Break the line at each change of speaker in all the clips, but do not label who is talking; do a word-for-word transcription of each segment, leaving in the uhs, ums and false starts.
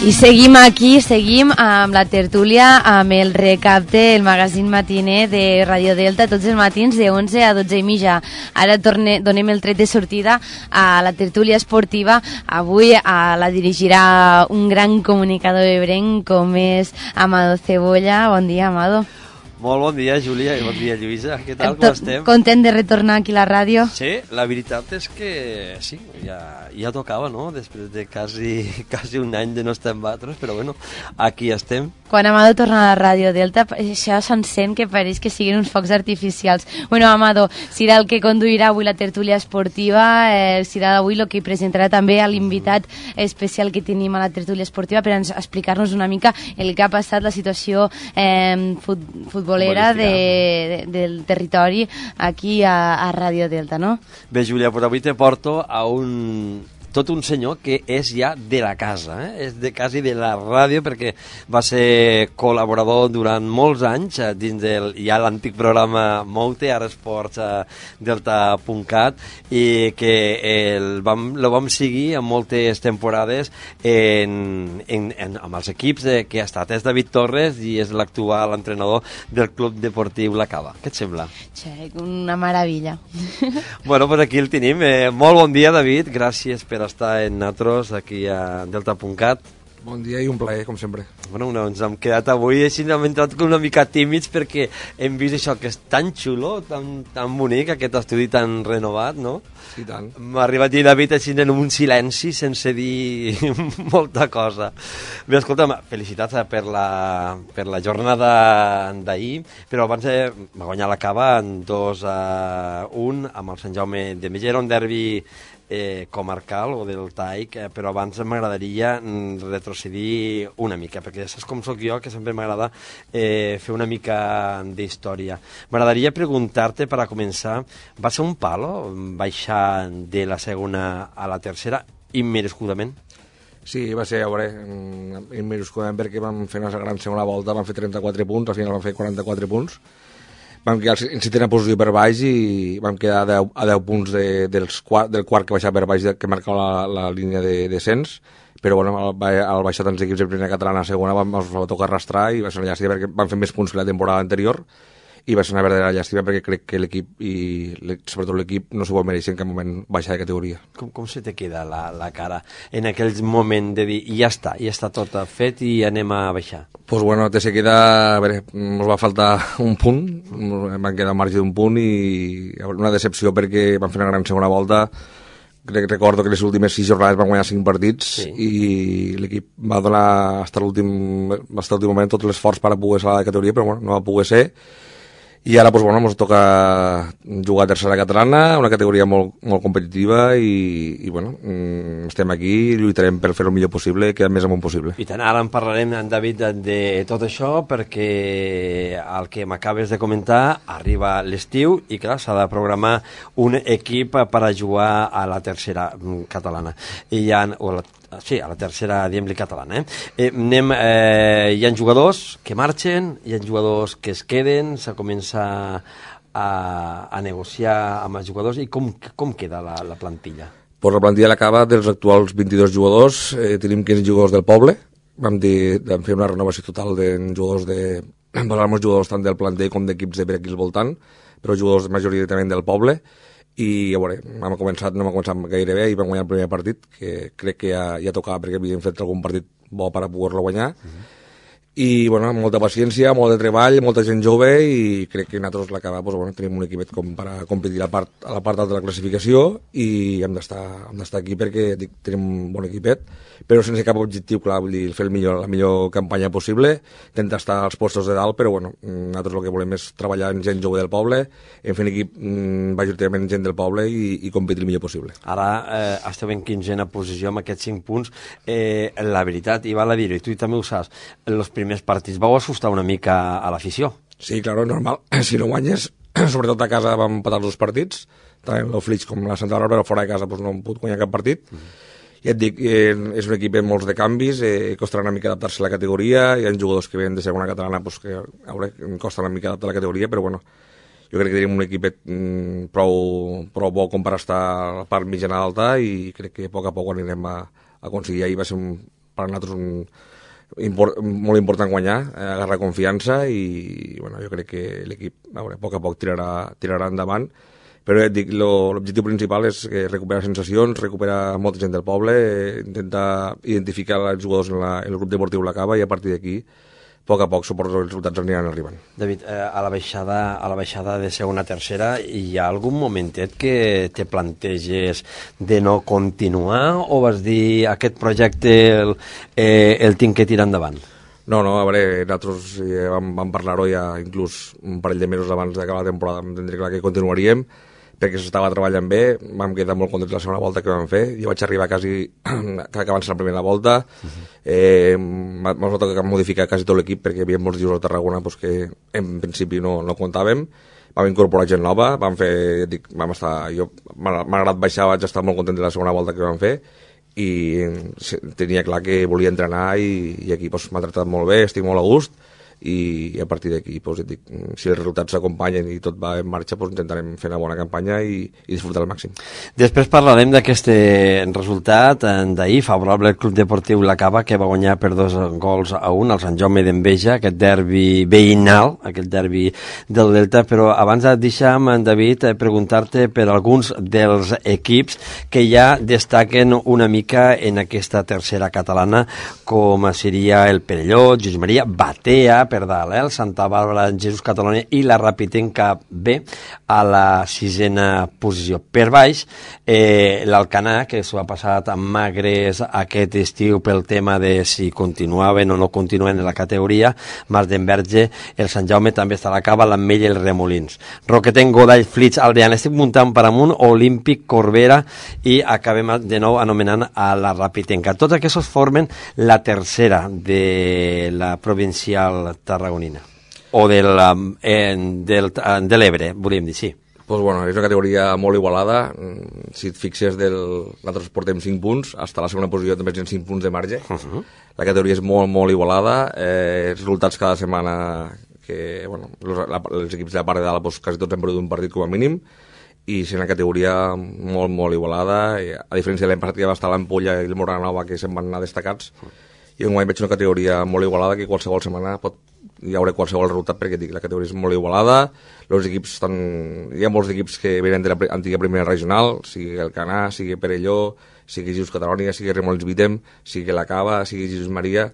I seguim aquí, seguim amb la tertúlia, amb el recapte, el magazín matiner de Radio Delta, tots els matins de onze a dotze i mitja. Ara torne, donem el tret de sortida a la tertúlia esportiva. Avui a la dirigirà un gran comunicador ebrenc com és Amado Cebolla. Bon dia, Amado.
Molt bon dia, Júlia, i bon dia, Lluïsa. Què tal, com estem?
Content de retornar aquí a la ràdio?
Sí, la veritat és que sí, ja, ja tocava, no?, després de quasi, quasi un any de no estar amb altres, però bueno, aquí estem.
Quan Amado torna a la Ràdio Delta, això s'encén que pareix que siguin uns focs artificials. Bueno, Amado, serà el que conduirà avui la tertúlia esportiva, eh, serà avui el que presentarà també a l'invitat especial que tenim a la tertúlia esportiva per explicar-nos una mica el que ha passat, la situació eh, fut, futbolera de, de, del territori aquí a, a Ràdio Delta, no?
Bé, Júlia, però avui te porto a un... tot un senyor que és ja de la casa, eh? És de quasi de la ràdio, perquè va ser col·laborador durant molts anys eh, dins del ja l'antic programa Moute, ara Esports eh, Delta punt cat, i que el vam, lo vam seguir en moltes temporades en, en, en, amb els equips de, que ha estat. És David Torres i és l'actual entrenador del Club Deportiu La Cava. Què et sembla?
Sí, una meravella.
Bueno, pues aquí el tenim. Eh, molt bon dia, David. Gràcies per estar en nosaltres aquí a Delta punt cat.
Bon dia i un plaer, com sempre.
Bueno, no, ens hem quedat avui així, hem entrat una mica tímids perquè hem vist això que és tan xulo, tan, tan bonic, aquest estudi tan renovat, no?
Sí, tant.
M'ha arribat a dir David així en un silenci sense dir molta cosa. Bé, escolta'm, felicitats per la, per la jornada d'ahir, però abans eh, va guanyar la Cava en dos a un amb el Sant Jaume de Mella, un derbi Eh, comarcal o del Taic, eh, però abans m'agradaria mm, retrocedir una mica, perquè ja saps com sóc jo, que sempre m'agrada eh, fer una mica d'història. M'agradaria preguntar-te, per a començar, va ser un palo baixar de la segona a la tercera immerescudament?
Sí, va ser, a veure, immerescudament, perquè vam fer una gran segona volta, vam fer trenta-quatre punts, al final vam fer quaranta-quatre punts, vam quedar en setena posició per baix i vam quedar a deu, a deu punts de, dels quart, del quart que baixava per baix, de, que marcava la, la línia de descens, però bueno, al, al baixar tants equips de primera catalana a segona vam, ens va tocar arrastrar i va ser una llàstima perquè vam fer més punts que la temporada anterior i va ser una verdadera llàstima perquè crec que l'equip i sobretot l'equip no s'ho vol mereixer en cap moment baixar de categoria.
Com, com se te queda la, la cara en aquell moment de dir ja està, ja està tot fet i anem a baixar?
Pues bueno, te se queda, a veure, ens va faltar un punt, van quedar al marge d'un punt i una decepció perquè van fer una gran segona volta. Crec, recordo que les últimes sis jornades van guanyar cinc partits sí. I l'equip va donar fins a l'últim moment tot l'esforç per a poder ser a la categoria, però bueno, no va poder ser. I ara, doncs, bueno, ens toca jugar a tercera catalana, una categoria molt, molt competitiva i, i, bueno, estem aquí i lluitarem per fer el millor possible, que el més amunt possible.
I tant, ara en parlarem, en David, de, de tot això, perquè el que m'acabes de comentar arriba l'estiu i, clar, s'ha de programar un equip per a jugar a la tercera catalana. I hi ha, o la, sí, a la tercera, diguem-li, catalana. Eh? Eh, anem, eh, hi ha jugadors que marxen, hi ha jugadors que es queden, se comença a, a negociar amb els jugadors i com, com queda la, la plantilla?
Pues la plantilla l'acaba dels actuals vint-i-dos jugadors, eh, tenim quinze jugadors del poble, vam, dir, vam fer una renovació total de jugadors de... Vam jugadors tant del planter com d'equips de per aquí al voltant, però jugadors majoritàriament del poble, i a veure, hem començat, no hem començat gaire bé i vam guanyar el primer partit, que crec que ja, ja tocava perquè havíem fet algun partit bo per a poder-lo guanyar, uh-huh. I bueno, molta paciència, molt de treball, molta gent jove i crec que nosaltres l'acaba, doncs, bueno, tenim un equipet com per a competir a la part, a la part alta de la classificació i hem d'estar hem d'estar aquí perquè dic, tenim un bon equipet, però sense cap objectiu clar, vull dir, fer el millor, la millor campanya possible, intentar estar als postos de dalt, però bueno, nosaltres el que volem és treballar amb gent jove del poble, en fer un equip majoritàriament gent del poble i, i competir el millor possible.
Ara eh, esteu en quinzena posició amb aquests cinc punts, eh, la veritat, i val a dir-ho, i tu també ho saps, els primers més partits vau assustar una mica a l'afició.
Sí, claro, normal. Si no guanyes, sobretot a casa vam empatar els dos partits, tant el Flix com la Santa Bàrbara, però fora de casa doncs, no hem pogut guanyar cap partit. Mm-hmm. I et dic, eh, és un equip amb molts de canvis, eh, costarà una mica adaptar-se a la categoria, hi ha jugadors que venen de segona catalana doncs, que a veure, costa una mica adaptar a la categoria, però bueno, jo crec que tenim un equipet mm, prou, prou bo com per estar a la part mitjana alta i crec que a poc a poc anirem a, a aconseguir. Ahir va ser un per a nosaltres un, import, molt important guanyar, eh, agarrar confiança i bueno, jo crec que l'equip a, veure, a poc a poc tirarà, tirarà endavant. Però ja et dic, l'objectiu principal és que recuperar sensacions, recuperar molta gent del poble, eh, intentar identificar els jugadors en, la, en el grup deportiu La Cava i a partir d'aquí, a poc a poc, suposo que els resultats aniran arribant.
David, eh, a, la baixada, a la baixada de segona a tercera, hi ha algun momentet que te planteges de no continuar o vas dir aquest projecte el, eh, el tinc que tirar endavant?
No, no, a veure, nosaltres eh, vam, vam parlar-ho ja inclús un parell de mesos abans d'acabar la temporada, vam entendre clar que continuaríem, perquè s'estava treballant bé, vam quedar molt contents la segona volta que vam fer, jo vaig arribar quasi que acabant la primera volta, uh-huh. eh, m'ha tocat modificar quasi tot l'equip perquè hi havia molts dius a Tarragona pues, que en principi no, no comptàvem, vam incorporar gent nova, vam fer, dic, vam estar, jo m'ha agradat baixar, vaig estar molt content de la segona volta que vam fer i tenia clar que volia entrenar i, i aquí pues, m'ha tractat molt bé, estic molt a gust, i a partir d'aquí pues, dic, si els resultats s'acompanyen i tot va en marxa pues, intentarem fer una bona campanya i, i disfrutar al màxim.
Després parlarem d'aquest resultat d'ahir favorable al Club Deportiu La Cava, que va guanyar per dos gols a un al Sant Jaume d'Enveja, aquest derbi veïnal, aquest derbi del Delta, però abans deixa'm, David, preguntar-te per alguns dels equips que ja destaquen una mica en aquesta tercera catalana, com seria el Perelló, Josep Maria, Batea, per dalt, eh? El Santa Bàrbara, Jesús Catalonia i la Rapitenca B a la sisena posició. Per baix, eh, l'Alcanar, que s'ho ha passat amb magres aquest estiu pel tema de si continuaven o no continuaven en la categoria, Mas d'Enverge, el Sant Jaume també està a la Cava, l'Ametlla i els Remolins. Roquetenc, Godall, Flix, Aldeana, estic muntant per amunt, Olímpic, Corbera i acabem de nou anomenant a la Rapitenca. Tots aquests formen la tercera de la provincial tarragonina o del, eh, del, de l'Ebre, volíem dir, sí.
Pues bueno, és una categoria molt igualada, si et fixes, del... nosaltres portem cinc punts, fins a la segona posició també tenen cinc punts de marge, uh-huh. La categoria és molt, molt igualada, eh, resultats cada setmana que, bueno, els, la, els equips de la part de dalt pues, quasi tots han perdut un partit com a mínim, i és una categoria molt, molt igualada, a diferència de l'any passat que va estar l'Ampolla i el Moranova, que se'n van anar destacats, i enguany veig una categoria molt igualada que qualsevol setmana pot, hi haurà qualsevol resultat perquè dic, la categoria és molt igualada, els equips estan, hi ha molts equips que venen de l'antiga primera regional, sigui el Canà, sigui Perelló, sigui Jesús Catalonia, sigui Remolins Vitem, sigui la Cava, sigui Jesús Maria,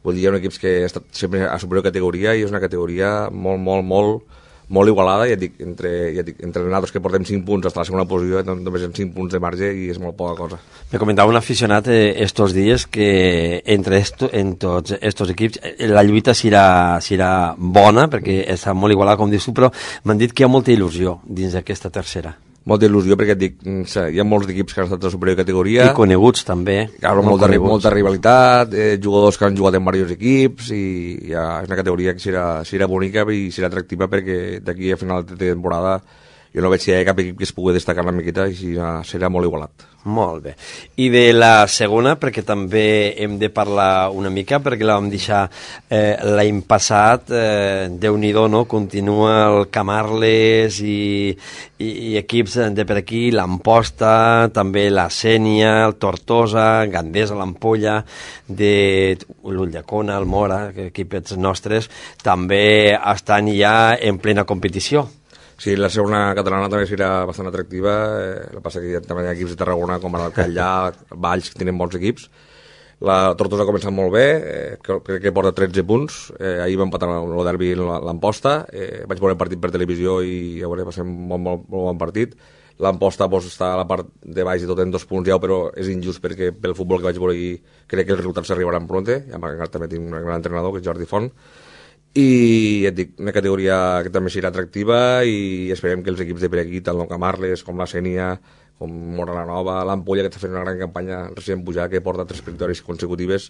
vull dir, hi ha equips que ha estat sempre a superior categoria i és una categoria molt, molt, molt molt igualada, ja dic, entre, ja dic, entre nosaltres que portem cinc punts fins a la segona posició, només en cinc punts de marge i és molt poca cosa.
Me comentava un aficionat eh, estos dies que entre esto, en tots estos equips la lluita serà, serà bona, perquè està molt igualada, com dius tu, però m'han dit que hi ha molta il·lusió dins d'aquesta tercera.
Molta il·lusió, perquè et dic, hi ha molts equips que han estat de superior categoria.
I coneguts, també.
Claro, molta, molta rivalitat, eh, jugadors que han jugat en diversos equips, i ja és una categoria que serà, serà bonica i serà atractiva, perquè d'aquí a final de temporada jo no veig si hi ha cap equip que es pugui destacar una miqueta i serà, serà molt igualat.
Molt bé. I de la segona, perquè també hem de parlar una mica, perquè la vam deixar eh, l'any passat, eh, Déu-n'hi-do, no? Continua el Camarles i, i, i equips de per aquí, l'Amposta, també la Sénia, el Tortosa, Gandesa, l'Ampolla, de l'Ullacona, el Mora, equips nostres, també estan ja en plena competició.
Sí, la segona catalana també serà bastant atractiva, eh, el que passa que hi ha també equips de Tarragona com el Callà, Valls, que tenen bons equips. La Tortosa ha començat molt bé, eh, crec que porta tretze punts, eh, ahir va empatar el derbi l'Amposta, eh, vaig veure el partit per televisió i ja veure, va ser un molt, molt, molt bon partit. L'Amposta pues, està a la part de baix i tot en dos punts ja, però és injust perquè pel futbol que vaig veure ahir crec que els resultats s'arribaran pronte, ja també tinc un gran entrenador que és Jordi Font, i et dic, una categoria que també serà atractiva i esperem que els equips de per aquí, tant el Camarles com la Sénia, com Mora la Nova, l'Ampolla, que està fent una gran campanya recent pujar, que porta tres victòries consecutives,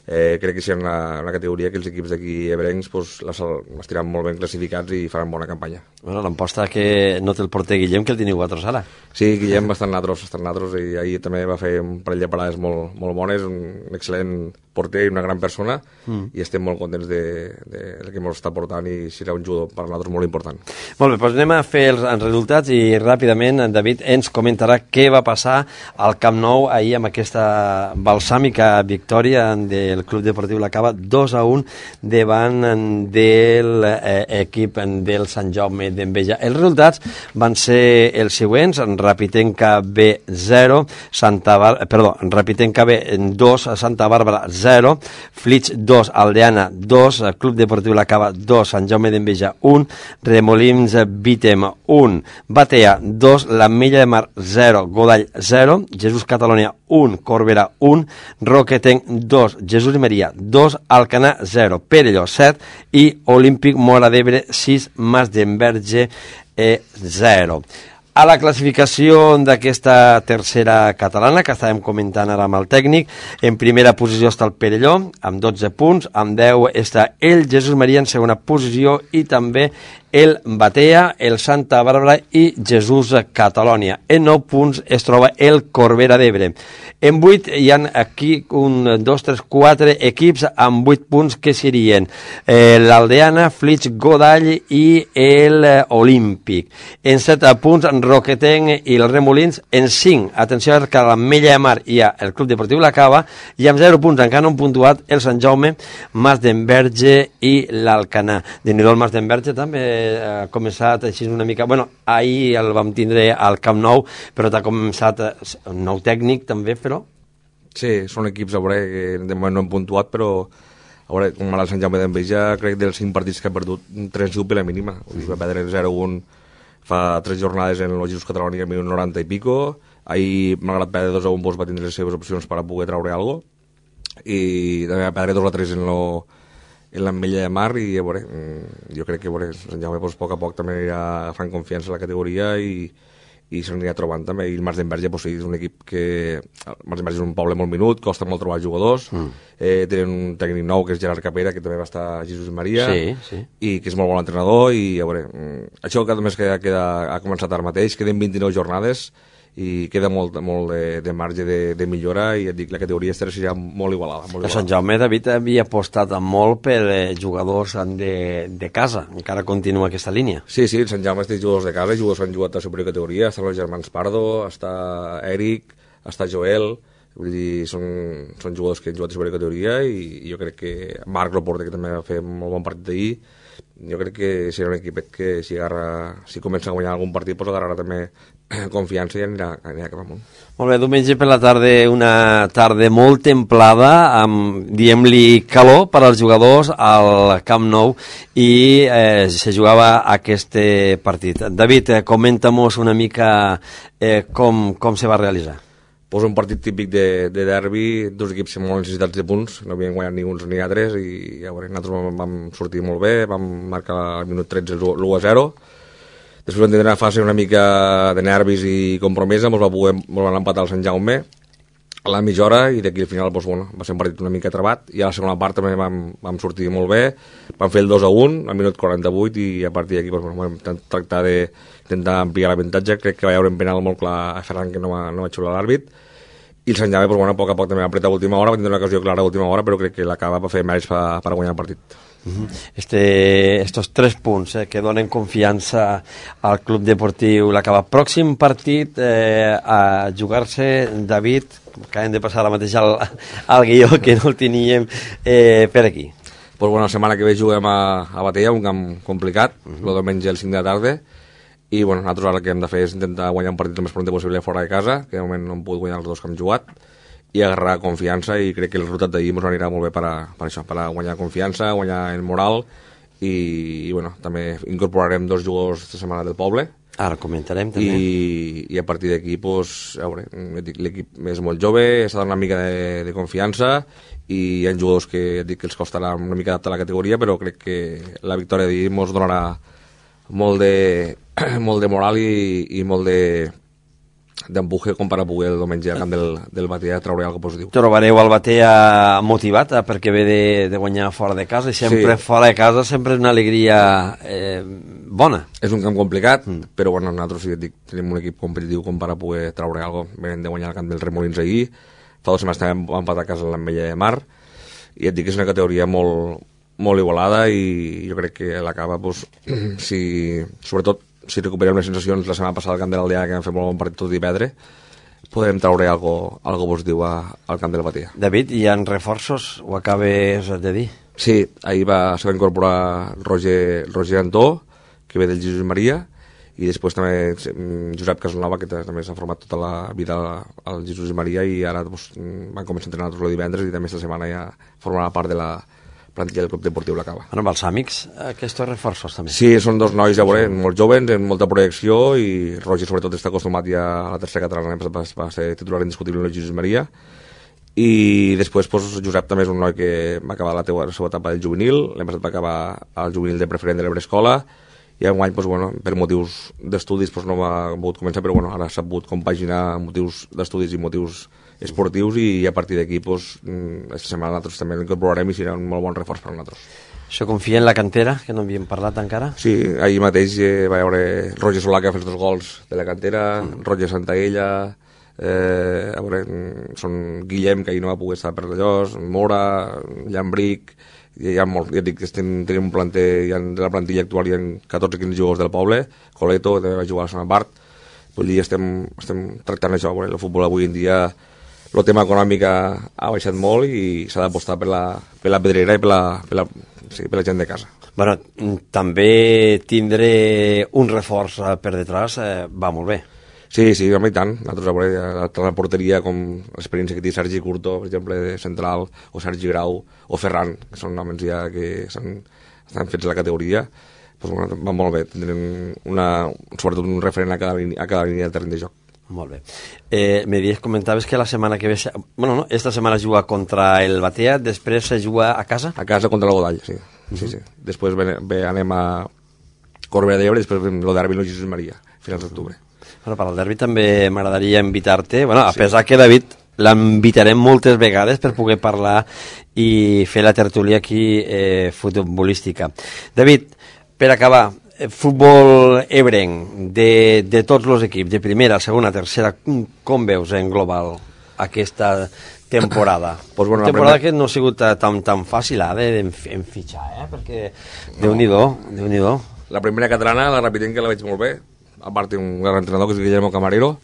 eh, crec que serà una, una categoria que els equips d'aquí ebrencs pues, les, les tiraran molt ben classificats i faran bona campanya.
Bueno, l'Amposta que no té el porter Guillem, que el teniu vosaltres ara.
Sí, Guillem bastant natros, bastant natros, i ahir també va fer un parell de parades molt, molt bones, un excel·lent porter i una gran persona, mm. i estem molt contents de, de, de que ens està portant, i serà un jugador per nosaltres molt important.
Molt bé, doncs anem a fer els, els resultats i ràpidament en David ens comentarà què va passar al Camp Nou ahir amb aquesta balsàmica victòria del Club Deportiu La Cava dos a un davant de l'equip del Sant Jaume d'Enveja. Els resultats van ser els següents: Rapitenca B zero, Santa Bar... perdó, Rapitenca B dos, Santa Bàrbara zero, Flix dos, Aldeana dos, Club Deportiu La Cava dos, Sant Jaume d'Enveja un, Remolins Vítem un, Batea dos, l'Ametlla de Mar zero, Godall zero, Jesús Catalonia un, Corbera un, Roquetenc dos, Jesús i Maria dos, Alcanar zero, Perelló set i Olímpic Móra d'Ebre sis, Mas d'Enverge zero. A la classificació d'aquesta tercera catalana, que estàvem comentant ara amb el tècnic, en primera posició està el Perelló, amb dotze punts, amb deu està el Jesús Maria en segona posició, i també el Batea, el Santa Bàrbara i Jesús Catalonia. En nou punts es troba el Corbera d'Ebre. En vuit hi ha aquí un, dos, tres, quatre equips amb vuit punts, que serien eh, l'Aldeana, Flix, Godall i el Olímpic. En set punts, Roquetenc i el Remolins. En cinc, atenció, que a l'Ametlla de Mar hi ha el Club Deportiu La Cava, i amb zero punts encara no han puntuat el Sant Jaume, Mas d'Enverge i l'Alcanar. De nhi el Mas d'Enverge també ha començat així una mica... Bueno, ahir el vam tindre al Camp Nou, però t'ha començat un nou tècnic també, però...
Sí, són equips, a veure, que de moment no han puntuat, però a veure, com el Sant Jaume d'Enveja, crec dels cinc partits que ha perdut, tres han sigut per la mínima. Vull dir, va perdre zero un fa tres jornades en el Jesús Catalonia al minut noranta i pico. Ahir, malgrat perdre dos a un, va tindre les seves opcions per a poder treure alguna cosa. I també va perdre dos a tres en lo... en l'Ametlla de Mar, i a veure, jo crec que a veure, Sant Jaume pues, a poc a poc també anirà agafant confiança a la categoria, i, i s'anirà trobant també. I el Mas d'Enverge pues, sí, és un equip que... el Mas d'Enverge és un poble molt minut, costa molt trobar jugadors, mm. eh, tenen un tècnic nou que és Gerard Capera, que també va estar a Jesús Maria,
sí, sí.
i que és molt bon entrenador, i a veure, això que només queda, queda, ha començat ara mateix, queden vint-i-nou jornades, i queda molt, molt de, de marge de, de millora, i et dic, la categoria estarà serà molt igualada. Molt igualada.
Sant Jaume, David, havia apostat molt per eh, jugadors de, de casa, encara continua aquesta línia.
Sí, sí, el Sant Jaume té jugadors de casa, jugadors que han jugat a superior categoria, estan els germans Pardo, està Eric, està Joel, vull dir, són, són jugadors que han jugat a superior categoria, i, i jo crec que Marc Loporte, que també va fer un molt bon partit d'ahir, jo crec que serà un equipet que si, agarra, si comença a guanyar algun partit pues agarrarà també confiança i anirà, anirà cap amunt.
Molt bé, diumenge per la tarda, una tarda molt templada, amb, diem-li, calor per als jugadors al Camp Nou, i eh, se jugava aquest partit. David, eh, comenta-mos una mica eh, com, com se va realitzar.
Pues un partit típic de, de derbi, dos equips amb molt necessitats de punts, no havien guanyat ni uns ni altres, i ja veure, nosaltres vam, vam sortir molt bé, vam marcar al minut tretze l'u a zero. Després vam tenir una fase una mica de nervis i compromesa, ens va poder van empatar el Sant Jaume a la mitja hora, i d'aquí al final pues, bueno, va ser un partit una mica trebat, i a la segona part també vam, vam sortir molt bé, vam fer el dos a un al minut quaranta-vuit, i a partir d'aquí pues, bueno, vam tractar d'intentar ampliar l'avantatge. Crec que va haver un penal molt clar a Ferran, que no va, no va xiular l'àrbit, i el Sant Jaume pues, bueno, a poc a poc també va apretar a última hora, va tenir una ocasió clara a última hora, però crec que l'acaba per fer mèrits per, per guanyar el partit.
Este, estos tres punts eh, que donen confiança al Club Deportiu La Cava. Pròxim partit eh, a jugar-se, David, que hem de passar ara mateix al, al guió, que no el teníem eh, per aquí.
Pues bueno, la setmana que ve juguem a, a Batea, un camp complicat, uh -huh. el diumenge el cinc de la tarda, i bueno, nosaltres ara el que hem de fer és intentar guanyar un partit el més pront possible fora de casa, que de moment no hem pogut guanyar els dos que hem jugat, i agarrar confiança, i crec que el resultat d'ahir ens anirà molt bé per, a, per això, per a guanyar confiança, guanyar el moral, i, i bueno, també incorporarem dos jugadors esta setmana del poble.
Ara comentarem també.
I, i a partir d'aquí, pues, a veure, l'equip és molt jove, està donant una mica de, de confiança, i hi ha jugadors que dic que els costarà una mica adaptar a la categoria, però crec que la victòria d'ahir ens donarà molt de, molt de moral i, i molt de d'empuje com per a poder el diumenge al camp del, del Batea treure alguna cosa positiu.
Trobareu el Batea motivat eh, perquè ve de, de guanyar fora de casa, i sempre sí. Fora de casa sempre és una alegria eh, bona.
És un camp complicat, mm. però bueno, nosaltres sí, dic, tenim un equip competitiu com per a poder treure alguna cosa. Venen de guanyar el camp del Remolins ahir, fa dos setmanes també vam empatar a casa en l'Ametlla de Mar, i et dic que és una categoria molt, molt igualada i jo crec que la Cava, pues, si, sobretot si recuperem les sensacions la setmana passada al Camp de l'Aldea, que vam fer molt bon partit tot i perdre, podem traure algo, algo positiu a, al Camp de la Batea.
David, hi ha reforços? Ho acabes de dir?
Sí, ahir va, se va incorporar Roger, Roger Antó, que ve del Jesús Maria, i després també Josep Casanova, que també s'ha format tota la vida al Jesús Maria i ara doncs, van començar a entrenar tots el divendres i també esta setmana ja formarà part de la plantilla del Club Deportiu La Cava.
Bueno, amb els amics, aquests reforços també.
Sí, són dos nois, ja veurem, molt jovens, amb molta projecció i Roger sobretot està acostumat ja a la tercera catalana, va, va ser titular indiscutible en el Jesús Maria. I després pues, Josep també és un noi que va acabar la, teua, la seva etapa del juvenil, l'any passat va acabar al juvenil de preferent de l'Ebrescola i enguany, pues, bueno, per motius d'estudis pues, no va pogut començar, però bueno, ara s'ha pogut compaginar motius d'estudis i motius esportius i a partir d'aquí pues, aquesta setmana nosaltres també l'incorporarem i serà un molt bon reforç per a nosaltres.
Això confia en la cantera, que no havíem parlat encara?
Sí, ahir mateix eh, va veure Roger Solà que va fer els dos gols de la cantera, mm. Roger Santaella, eh, a veure, són Guillem, que ahir no va poder estar per Lledós, Mora, Llambric, hi ha molt, ja dic que estem, tenim un planter, hi ha, de la plantilla actual hi ha catorze quinze jugadors del poble, Coleto, que també va jugar a la Sona Bart, vull dir, estem, estem tractant això, bueno, el futbol avui en dia, el tema econòmic ha, ha baixat molt i s'ha d'apostar per, la, per la pedrera i per la, per, la, sí, per la gent de casa.
Bueno, també tindre un reforç per detrás eh, va molt bé.
Sí, sí, home, i tant. Nosaltres a veure, a la porteria, com l'experiència que té Sergi Curto, per exemple, de central, o Sergi Grau, o Ferran, que són homes ja que estan, estan fets a la categoria, doncs, bueno, va molt bé. Tindrem una, sobretot un referent a cada, a cada línia del terreny de joc.
Molt bé. Eh, me dies, comentaves que la setmana que ve... Bueno, no, esta setmana juga contra el Batea, després se juga a casa?
A casa contra el Godall, sí. Uh -huh. sí, sí. Després ve, ve, anem a Corbera d'Ebre i després ve el derbi el Jesús Maria, a finals d'octubre.
Bueno, per al derbi també m'agradaria invitar-te, bueno, a sí. pesar que David l'invitarem moltes vegades per poder parlar i fer la tertúlia aquí eh, futbolística. David, per acabar, futbol ebrenc de, de tots els equips, de primera, segona, tercera, com veus en global aquesta temporada? Pues bueno, temporada primer... que no ha sigut tan, tan fàcil eh, de, en, en fitxar, eh? perquè no. Déu-n'hi-do, Déu-n'hi-do.
La primera catalana, la repitem que la veig molt bé, a part un gran entrenador que és Guillermo Camarero,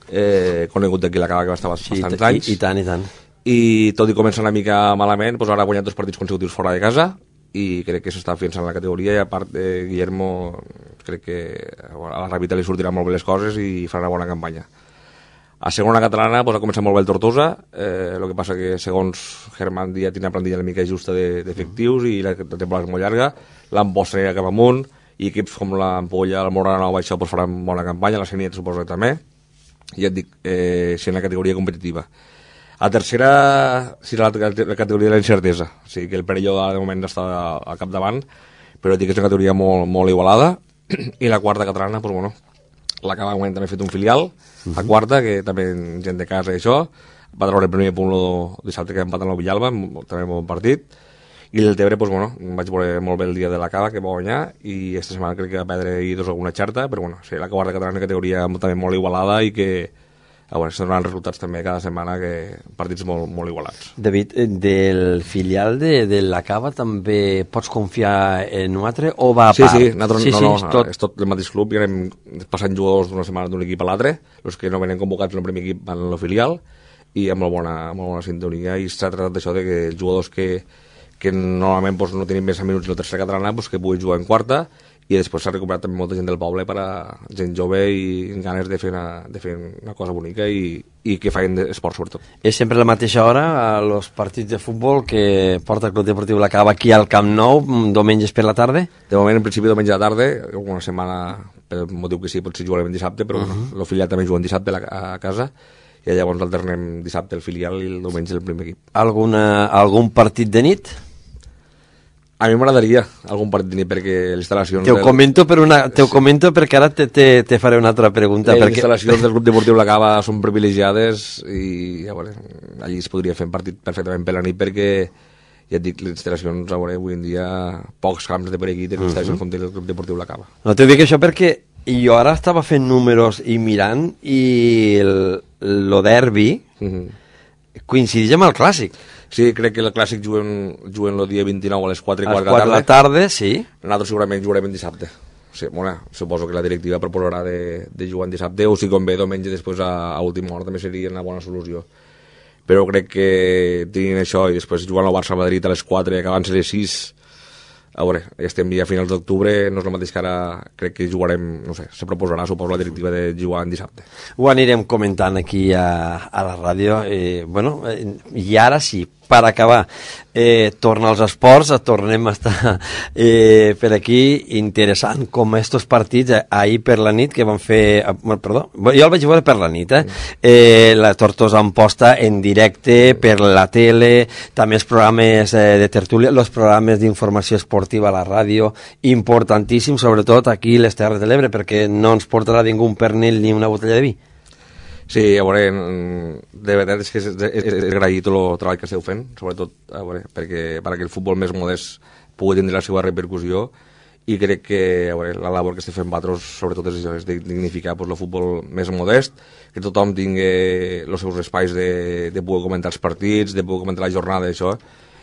eh, conegut d'aquí la Cava, que va estar sí, bastants i, anys.
I, i tant, i tant.
I tot i començar una mica malament, doncs ara ha guanyat dos partits consecutius fora de casa i crec que s'està fiançant en la categoria i a part de Guillermo crec que a la Revita li sortiran molt bé les coses i farà una bona campanya. A segona catalana doncs, ha començat molt bé el Tortosa, eh, el que passa que segons Germán Díaz té una plantilla una mica justa d'efectius i la temporada és molt llarga, l'Amposta anirà cap amunt i equips com l'Ampolla, el Morana o això pues, faran bona campanya, la Seniet suposo que també, i ja et dic, eh, si en la categoria competitiva. A tercera, si la, la categoria de la incertesa, o sigui que el Perelló de moment està al capdavant, però dic que és una categoria molt, molt igualada, i la quarta catalana, doncs bueno, la Cava també ha fet un filial, uh -huh. la quarta, que també gent de casa i això, va treure el primer punt el dissabte que va empatar amb el Villalba, també un bon partit, i el Tebre, doncs, bueno, vaig veure molt bé el dia de la Cava, que va guanyar, i aquesta setmana crec que va perdre ahir dos alguna xerta, però bueno, sí, la quarta catalana és una categoria també molt igualada i que, a veure, s'han donat resultats també cada setmana, que partits molt, molt igualats.
David, del filial de, de la Cava també pots confiar en un altre o va a
sí,
part?
Sí, nosaltres,
sí,
no,
sí,
no,
és tot...
és tot el mateix club i anem passant jugadors d'una setmana d'un equip a l'altre, els que no venen convocats en el primer equip van a la filial, i amb molt bona, molt bona sintonia, i s'ha tratat d'això de que els jugadors que que normalment doncs, no tenim més minuts en la tercera catalana, doncs, que puguin jugar en quarta, i després s'ha recuperat també molta gent del poble per a gent jove i amb ganes de fer una, de fer una cosa bonica i, i que facin esport sobretot.
És sempre la mateixa hora als partits de futbol que porta el Club Deportiu La Cava aquí al Camp Nou, diumenges per la tarda?
De moment, en principi, diumenge a la tarda, una setmana, per motiu que sí, potser jugarem dissabte, però uh -huh. bueno, el filial també juga dissabte a casa, i llavors alternem dissabte el filial i el diumenge el primer equip.
Alguna, algun partit de nit?
A mi m'agradaria algun partit de nit perquè les instal·lacions...
Te ho comento, per una, te ho comento perquè ara te, te, te faré una altra pregunta.
Les
perquè...
instal·lacions del Grup Deportiu La Cava són privilegiades i a veure, allí es podria fer un partit perfectament per la nit perquè, ja et dic, les instal·lacions, a veure, avui en dia pocs camps de per aquí tenen instal·lacions uh -huh. com té el Grup Deportiu La Cava.
No t'ho dic això perquè jo ara estava fent números i mirant i el, el derbi uh -huh. coincideix amb el Clàssic.
Sí, crec que el Clàssic juguen, juguen el dia vint-i-nou a les quatre i
A
quart
les quatre de la tarda, sí.
Nosaltres segurament jugarem el dissabte. Sí, bueno, suposo que la directiva proposarà de, de jugar en dissabte, o si convé diumenge després a, a última hora també seria una bona solució. Però crec que tenint això i després jugant al Barça-Madrid a les quatre i acabant a les sis, a veure, ja estem ja a finals d'octubre, no és el mateix que ara crec que jugarem, no sé, se proposarà, suposo, la directiva de jugar en dissabte.
Ho anirem comentant aquí a, a la ràdio. Eh, bueno, eh, i ara sí, per acabar, eh, torna als esports, tornem a estar eh, per aquí, interessant com estos partits, eh, ahir per la nit que van fer, eh, perdó, jo el vaig veure per la nit, eh, eh la Tortosa en posta en directe per la tele, també els programes eh, de tertúlia, els programes d'informació esportiva a la ràdio, importantíssim, sobretot aquí a les Terres de l'Ebre, perquè no ens portarà ningú un pernil ni una botella de vi.
Sí, a veure, de veritat és que és, és, és agrair tot el treball que esteu fent, sobretot a veure, perquè, perquè el futbol més modest pugui tenir la seva repercussió, i crec que a veure, la labor que estem fent vosaltres sobretot és, és de dignificar pues, el futbol més modest, que tothom tingui els seus espais de, de poder comentar els partits, de poder comentar la jornada, això,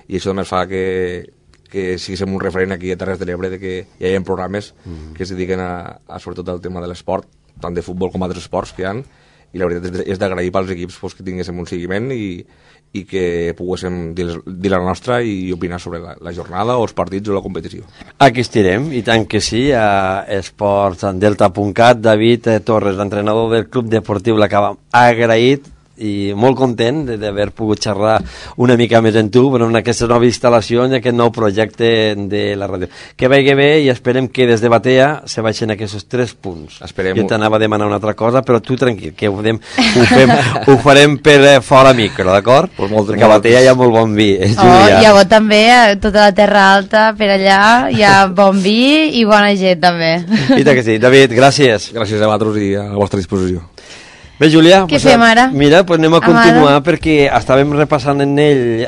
i això només fa que, que siguem un referent aquí a Terres de l'Ebre, de que hi ha programes mm. que es dediquen a, a sobretot al tema de l'esport, tant de futbol com altres esports que hi ha, i la veritat és d'agrair pels equips pues, que tinguéssim un seguiment i, i que poguéssim dir, dir la nostra i opinar sobre la, la jornada o els partits o la competició.
Aquí estirem, i tant que sí, a esports delta punt cat. David Torres, l'entrenador del Club Deportiu l'Acaba, agraït i molt content d'haver pogut xerrar una mica més en tu, però en aquesta nova instal·lació, en aquest nou projecte de la ràdio. Que vagi bé i esperem que des de Batea se baixen aquests tres punts.
Esperem.
Jo t'anava a demanar una altra cosa, però tu tranquil, que ho, fem, ho, fem, ho farem per fora micro, d'acord?
Pues molt,
Perquè a Batea hi ha molt bon vi. Eh,
oh, hi ha bo també, a tota la Terra Alta, per allà, hi ha bon vi i bona gent també.
I tant que sí. David, gràcies.
Gràcies a vosaltres i a la vostra disposició.
Bé, Júlia,
què
pues,
fem ara?
Mira, pues anem a continuar
Amada.
perquè estàvem repassant en ell eh,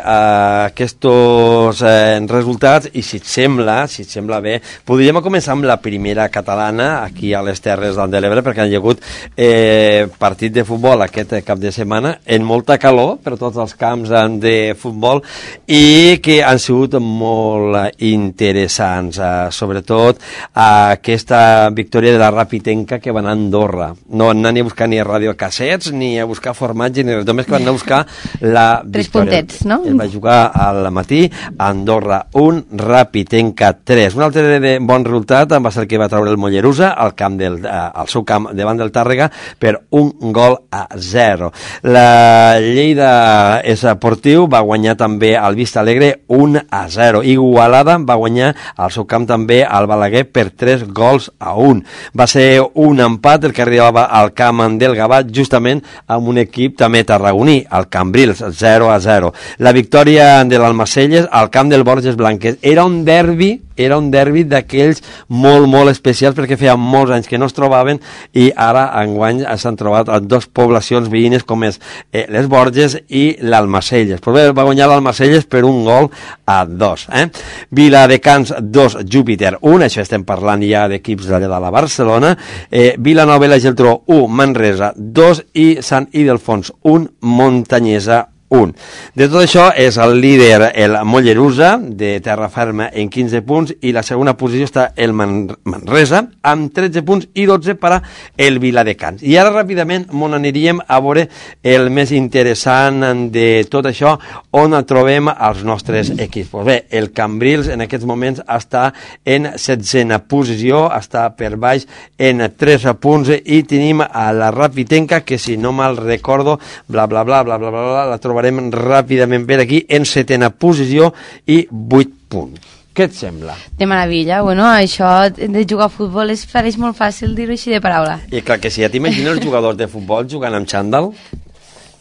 aquests eh, resultats i si et sembla, si et sembla bé, podríem començar amb la primera catalana aquí a les Terres de l'Ebre perquè han hi ha hagut eh, partit de futbol aquest cap de setmana en molta calor per tots els camps de futbol i que han sigut molt interessants, eh, sobretot eh, aquesta victòria de la Rapitenca que va anar a Andorra. No anant a buscar ni a ràdio cassets, ni a buscar formatge, ni res, només que van anar a buscar la
tres
victòria.
puntets, no?
El va jugar al matí a Andorra un, Rapitenca tres. Un altre de, de bon resultat va ser el que va treure el Mollerusa al camp del, eh, al seu camp davant del Tàrrega per un gol a zero. La Lleida Esportiu va guanyar també al Vista Alegre un a zero. Igualada va guanyar al seu camp també al Balaguer per tres gols a un. Va ser un empat el que arribava al camp del Gavat justament amb un equip també tarragoní, el Cambrils, zero a zero. La victòria de l'Almacelles al camp del Borges Blanques. Era un derbi, era un derbi d'aquells molt, molt especials perquè feia molts anys que no es trobaven i ara enguany s'han trobat a dues poblacions veïnes com és eh, les Borges i l'Almacelles. Però bé, va guanyar l'Almacelles per un gol a dos. Eh? Viladecans dos, Júpiter un, això estem parlant ja d'equips de la Barcelona. Eh, Vilanova i la Geltrú un, Manresa dos i Sant Ildefons un, Montanyesa un. De tot això és el líder el Mollerusa de Terra Ferma en quinze punts i la segona posició està el Man Manresa amb tretze punts i dotze per a el Viladecans. I ara ràpidament m'on aniríem a veure el més interessant de tot això on trobem els nostres equips. Pues bé, el Cambrils en aquests moments està en setzena posició, està per baix en tres punts i tenim a la Rapitenca que si no mal recordo bla bla bla bla bla bla, bla la trobarem ràpidament per aquí en setena posició i vuit punts. Què et sembla?
De meravella, bueno, això de jugar a futbol es pareix molt fàcil dir-ho així de paraula.
I clar que si ja t'imagines els jugadors de futbol jugant amb xandall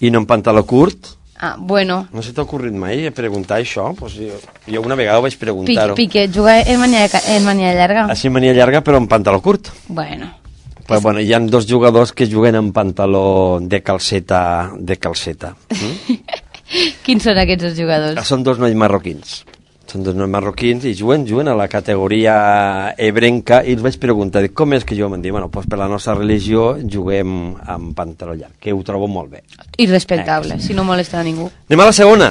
i no amb pantaló curt.
Ah, bueno.
No se t'ha ocorrit mai preguntar això? Pues jo, jo una vegada ho vaig preguntar-ho.
Piqué, juga en mania, en mania llarga.
Així en mania llarga però amb pantaló curt.
Bueno.
Però bueno, hi ha dos jugadors que juguen amb pantaló de calceta. De calceta. Mm?
Quins són aquests dos jugadors?
Són dos nois marroquins. són dos marroquins i juguen, juguen a la categoria ebrenca i els vaig preguntar, com és que jo? Em diuen, bueno, doncs per la nostra religió juguem amb pantaló llarg, que ho trobo molt bé.
I respectable, eh, si no molesta a ningú.
Anem a la segona.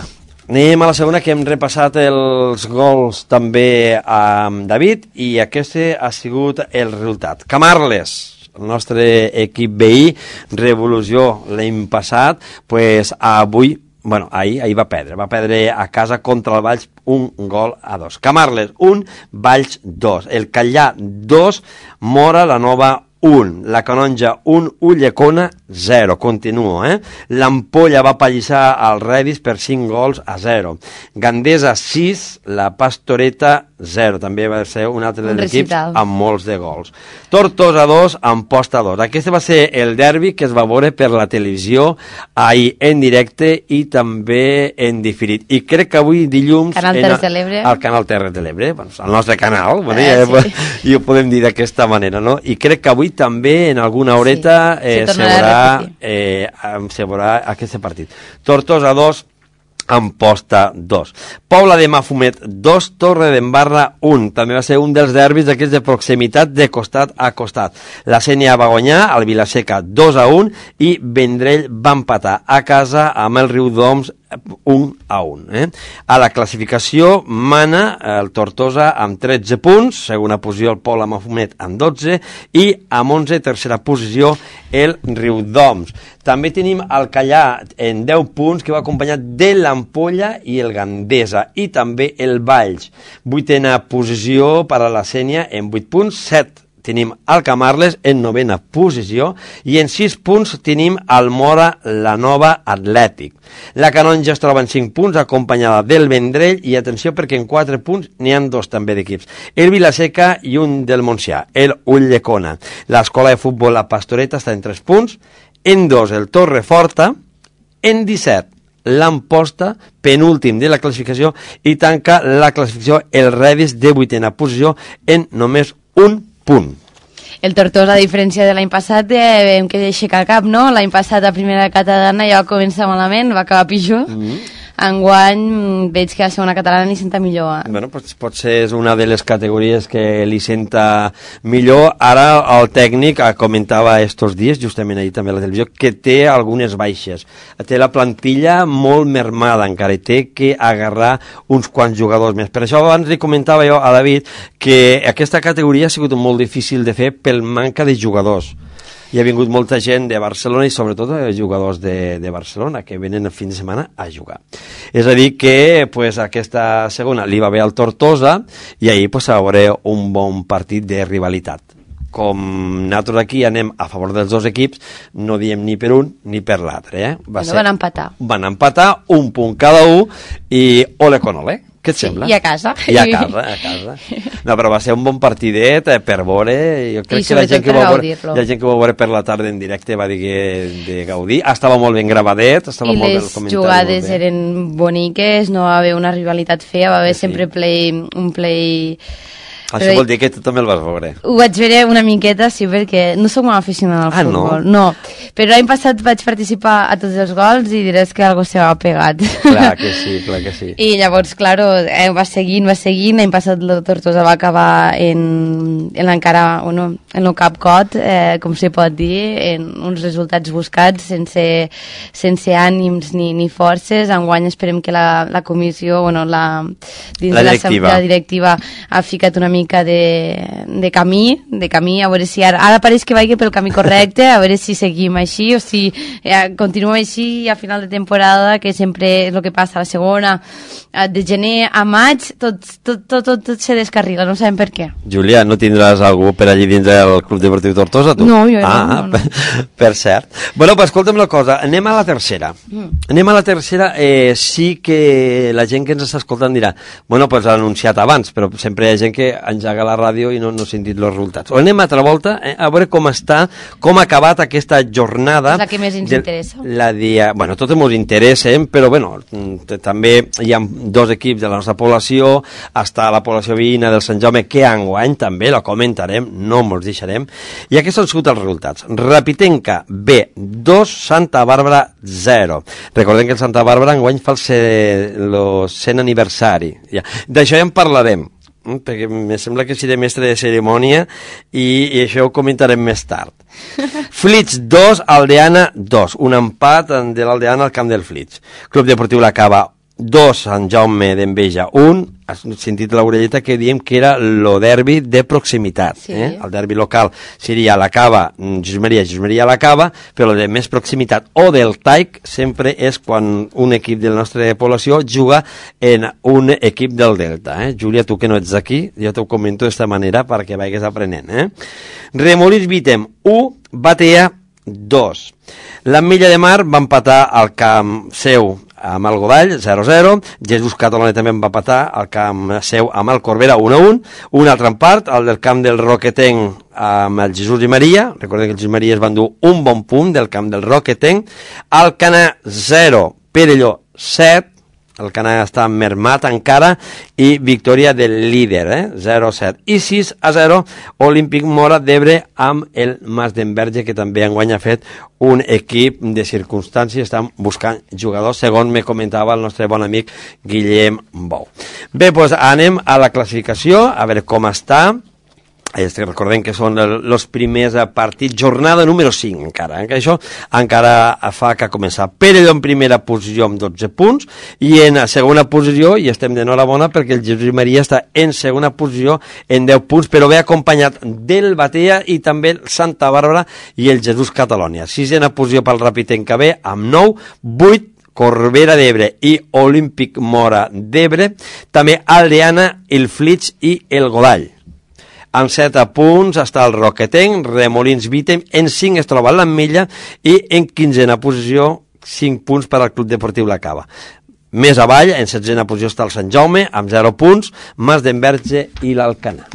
Anem a la segona, que hem repassat els gols també amb David, i aquest ha sigut el resultat. Camarles, el nostre equip veí, Revolució l'any passat, pues avui, bueno, ahir, ahir va perdre, va perdre a casa contra el Valls un gol a dos. Camarles, un, Valls, dos. El Callà, dos, Mora la Nova, un. La Canonja, un. Ullecona, zero. Continuo, eh? L'Ampolla va pallissar al Redis per cinc gols a zero. Gandesa, sis. La Pastoreta, zero. També va ser un altre dels equips amb molts de gols. Tortosa, dos. Amposta, dos. Aquest va ser el derbi que es va veure per la televisió ahir en directe i també en diferit. I crec que avui dilluns...
Canal Terres de l'Ebre.
Al Canal Terres de l'Ebre, bueno, el nostre canal, bueno,
eh,
ja,
sí.
I ho podem dir d'aquesta manera, no? I crec que avui també en alguna horeta sí, eh, se, veurà, eh, se veurà aquest partit. Tortosa, dos. Amposta, dos. Pobla de Mafumet, dos. Torre d'Embarra, un. També va ser un dels derbis d'aquests de proximitat de costat a costat. La Sénia va guanyar, el Vilaseca, dos a un, i Vendrell va empatar a casa amb el Riudoms, un a un. Eh? A la classificació mana el Tortosa amb tretze punts, segona posició el Pobla Mafumet amb dotze, i amb onze, tercera posició, el Riudoms. També tenim el Callà en deu punts, que va acompanyat de l'Ampolla i el Gandesa, i també el Valls. Vuitena posició per a la Sénia en vuit punts, set tenim el Camarles en novena posició i en sis punts tenim el Mora la Nova Atlètic. La Canonja es troba en cinc punts acompanyada del Vendrell i atenció perquè en quatre punts n'hi ha dos també d'equips. El Vilaseca i un del Montsià, el Ullecona. L'escola de futbol La Pastoreta està en tres punts, en dos el Torreforta, en disset l'Amposta, penúltim de la classificació, i tanca la classificació el Redis de vuitena posició en només un punt.
El Tortosa, a diferència de l'any passat, eh, vam que aixecar cap, no? L'any passat, a primera catalana, ja va començar malament, va acabar pitjor. Mm-hmm. Enguany veig que a segona catalana li senta millor. Eh?
Bueno, pues, potser és una de les categories que li senta millor. Ara el tècnic comentava estos dies, justament ahir també a la televisió, que té algunes baixes. Té la plantilla molt mermada encara i té que agarrar uns quants jugadors més. Per això abans li comentava jo a David que aquesta categoria ha sigut molt difícil de fer pel manca de jugadors. Hi ha vingut molta gent de Barcelona i sobretot jugadors de, de Barcelona que venen el fin de setmana a jugar. És a dir que pues, aquesta segona li va bé al Tortosa i ahir pues, va haver un bon partit de rivalitat. Com nosaltres aquí anem a favor dels dos equips, no diem ni per un ni per l'altre. Eh? Va
ser, van empatar.
Van empatar, un punt cada un i ole con ole. Què et
sí,
sembla?
I a casa.
I a casa, a casa. No, però va ser un bon partidet eh, per veure. Jo crec
I
que la gent que, va veure, la gent que va veure per la tarda en directe va dir que de gaudir. Estava molt ben gravadet, estava
I
molt
les
ben comentat.
jugades eren boniques, no va haver una rivalitat fea, va haver sí. sempre play, un play...
Això però vol dir que tu també el vas veure.
Ho vaig veure una miqueta, sí, perquè no soc molt aficionada al
ah,
futbol.
No?
No, però l'any passat vaig participar a tots els gols i diràs que algo se va pegat.
Clar que sí, clar que sí.
I llavors, claro, eh, va seguint, va seguint. L'any passat la Tortosa va acabar en, en l'encara, bueno, en el capcot, eh, com se pot dir, en uns resultats buscats, sense, sense ànims ni, ni forces. Enguany esperem que la, la comissió, bueno, la, dins
la
de
directiva.
La, la directiva ha ficat una mica de, de camí, de camí, a veure si ara, ara pareix que vagi pel camí correcte, a veure si seguim així o si eh, continuem així i a final de temporada, que sempre és el que passa a la segona, de gener a maig, tot, tot, tot, tot, tot se descarrila, no sabem per què.
Júlia, no tindràs algú per allí dins del Club Deportiu Tortosa, tu?
No, jo
ah,
no. no, no.
Per, per cert. Bueno, pues escolta'm la cosa, anem a la tercera. Mm. Anem a la tercera, eh, sí que la gent que ens està escoltant dirà, bueno, pues l'ha anunciat abans, però sempre hi ha gent que engega la ràdio i no, no ha sentit els resultats. O anem a altra volta eh, a veure com està, com ha acabat aquesta jornada jornada...
És la que més ens
de,
interessa.
La dia, bueno, totes ens interessen, però bueno, també hi ha dos equips de la nostra població, està la població veïna del Sant Jaume, que enguany també la comentarem, no ens deixarem, i aquests han sigut els resultats. Rapitenca B, dos, Santa Bàrbara zero. Recordem que el Santa Bàrbara enguany fa el cent aniversari. Ja. D'això ja en parlarem, perquè em sembla que seré mestre de cerimònia i, i això ho comentarem més tard. Flix dos, Aldeana dos, un empat de l'Aldeana al camp del Flix. Club Deportiu La Cava dos, Sant Jaume d'Enveja un. Has sentit l'orelleta que diem que era el derbi de proximitat. Sí. Eh? El derbi local seria La Cava, Jesús Maria, Jesús Maria La Cava, però el de més proximitat o del Taic sempre és quan un equip de la nostra població juga en un equip del Delta. Eh? Júlia, tu que no ets aquí, jo t'ho comento d'esta manera perquè vagis aprenent. Eh? Remolins Vitem u, Batea dos. L'Ametlla de Mar va empatar al camp seu amb el Godall, zero a zero. Jesús Cataloni també va empatar al camp seu amb el Corbera, un a un. Un altre empat, el del camp del Roquetenc amb el Jesús i Maria. Recordem que el Jesús i Maria es van dur un bon punt del camp del Roquetenc. Alcanar, zero, Perelló, set. El Canà està mermat encara i victòria del líder, eh? zero a set. I sis a zero, Olímpic Mora d'Ebre amb el Mas d'Enverge, que també enguany ha fet un equip de circumstàncies, estan buscant jugadors, segons me comentava el nostre bon amic Guillem Bou. Bé, doncs anem a la classificació, a veure com està. Recordem que són els primers partits, jornada número cinc encara, eh? Això encara fa que començar. Perelló en primera posició amb dotze punts i en segona posició, i estem d'enhorabona perquè el Jesús i Maria està en segona posició en deu punts, però ve acompanyat del Batea i també el Santa Bàrbara i el Jesús Catalònia. Sisena posició pel Rapitenca B amb nou, vuit Corbera d'Ebre i Olímpic Mora d'Ebre, també Aldeana, el Flix i el Godall. En set punts està el Roquetenc, Remolins Vitem, en cinc es troba l'Ametlla i en quinzena posició, cinc punts per al Club Deportiu La Cava. Més avall, en setzena posició està el Sant Jaume, amb zero punts, Mas d'Enverge i l'Alcanar.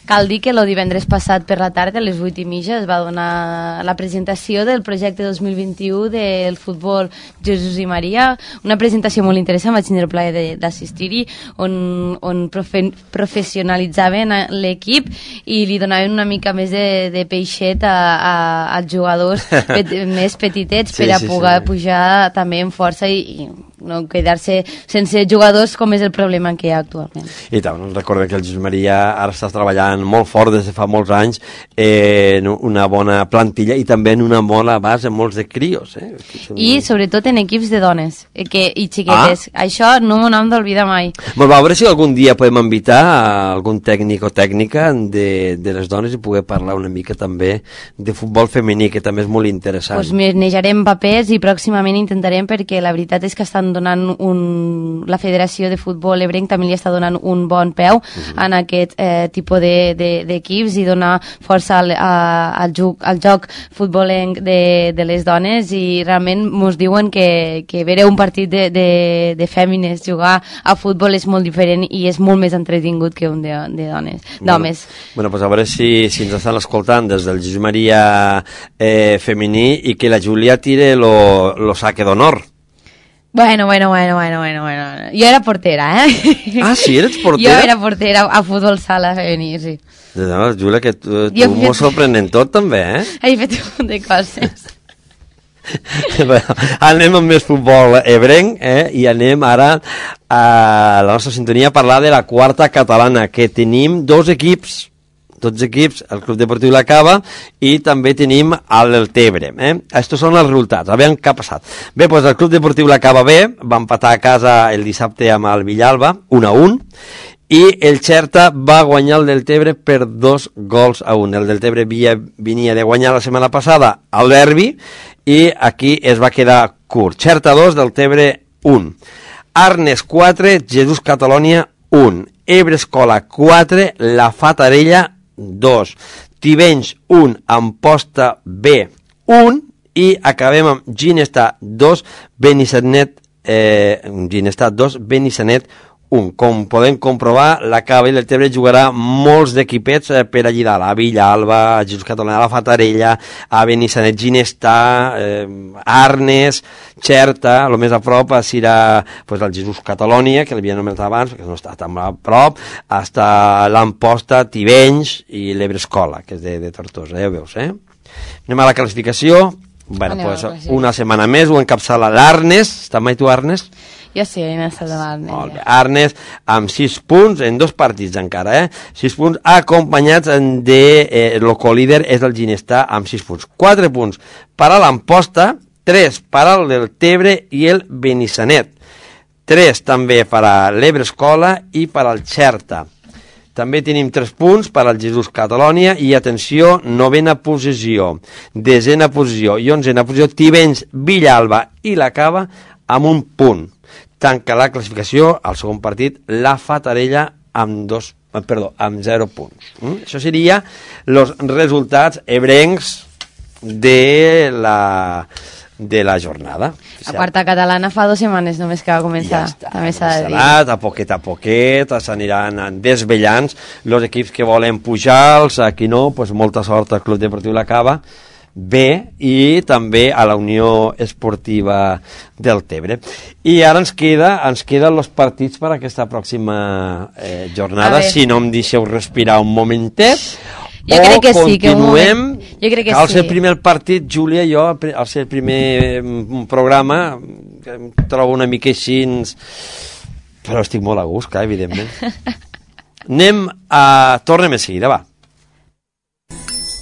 Cal dir que el divendres passat per la tarda, a les vuit i mitja, es va donar la presentació del projecte dos mil vint-i-u del futbol Jesús i Maria, una presentació molt interessant, vaig tenir el plaer d'assistir-hi, on, on profe professionalitzaven l'equip i li donaven una mica més de, de peixet a, a, als jugadors pet, més petitets sí, per a sí, poder sí. pujar també en força i, i no quedar-se sense jugadors com és el problema que hi ha actualment. I
tant, recorda que el Jesús Maria ara està treballant molt fort des de fa molts anys en una bona plantilla i també en una bona base en molts de crios. Eh?
I sobretot en equips de dones que, i xiquetes. Ah. Això no m'ho hem d'oblidar mai.
Molt bé, a veure si algun dia podem invitar a algun tècnic o tècnica de, de les dones i poder parlar una mica també de futbol femení, que també és molt interessant.
Doncs pues nejarem papers i pròximament intentarem, perquè la veritat és que estan donant un... la Federació de Futbol Ebrenc també li està donant un bon peu uh-huh. en aquest eh, tipus d'equips de, de, i donar força al, a, al, joc, al joc futbolenc de, de les dones, i realment ens diuen que, que veure un partit de, de, de fèmines jugar a futbol és molt diferent i és molt més entretingut que un de, de dones, d'homes.
Bueno, bueno, pues a veure si, si ens estan escoltant des del Jesús Maria eh, femení i que la Júlia tire lo, lo saque d'honor.
Bueno, bueno, bueno, bueno, bueno, bueno. Jo era portera, eh?
Ah, sí? Eres portera?
Jo era portera a futbol sala femení, sí.
No, Júlia, que tu, tu fet... m'ho sorprenent tot, també, eh?
He fet un munt de coses.
Bueno, anem amb més futbol ebrenc, eh? I anem ara a la nostra sintonia a parlar de la quarta catalana, que tenim dos equips, tots equips, el Club Deportiu La Cava i també tenim el Tebre. Eh? Estos són els resultats, a veure què ha passat. Bé, doncs el Club Deportiu La Cava B va empatar a casa el dissabte amb el Villalba, un a un, i el Xerta va guanyar el del Tebre per dos gols a un. El del Tebre via, venia de guanyar la setmana passada al derbi i aquí es va quedar curt. Xerta dos, del Tebre un. Arnes quatre, Jesús Catalònia un. Ebre Escola quatre, La Fatarella dos. Tivenys un, Amposta B un, i acabem amb Ginestar dos, Benissanet eh, Ginestar dos, Benissanet un. Com podem comprovar, la Cava i l'Eltebre jugarà molts d'equipets eh, per allí dalt, a Villalba, a Jesús Catalana, a la Fatarella, a Benissanet, Ginestà, eh, Arnes, Xerta, el més a prop serà pues, el Jesús Catalònia, que l'havia anomenat abans, perquè no està tan a prop, hasta l'Amposta, Tivenys i l'Ebrescola, que és de, de Tortosa, ja ho veus, eh? Anem a la classificació. Bueno,
Anem
pues,
a la classificació.
una setmana més ho encapçala l'Arnes. Està mai tu, Arnes?
Jo sí, he estat de l'Arnes.
Molt bé. Arnes amb sis punts en dos partits encara, eh? sis punts acompanyats de eh, el colíder és el Ginestà amb sis punts. quatre punts per a l'Amposta, tres per al del Tebre i el Benissanet. tres també per a l'Ebrescola i per al Xerta. També tenim tres punts per al Jesús Catalònia i, atenció, novena posició, desena posició i onzena posició, Tivenys, Villalba i la Cava amb un punt. Tanca la classificació, al segon partit, la Fatarella amb dos, perdó, amb zero punts. Mm? Això seria els resultats ebrencs de la... de la jornada.
La quarta catalana fa dues setmanes només que va començar.
Ja està,
també s'ha de dir.
a poquet a poquet s'aniran desvellant els equips que volen pujar, els aquí no, pues molta sort al Club Deportiu La Cava B i també a la Unió Esportiva del Tebre. I ara ens queda ens queden els partits per a aquesta pròxima eh, jornada, si no em deixeu respirar un momentet.
Jo crec que sí, que un
continuem,
moment... Jo crec que
al
sí.
ser primer partit, Júlia, jo, al ser el primer programa, em trobo una mica així, però estic molt a gust, clar, evidentment. Anem a... Tornem a seguida, va.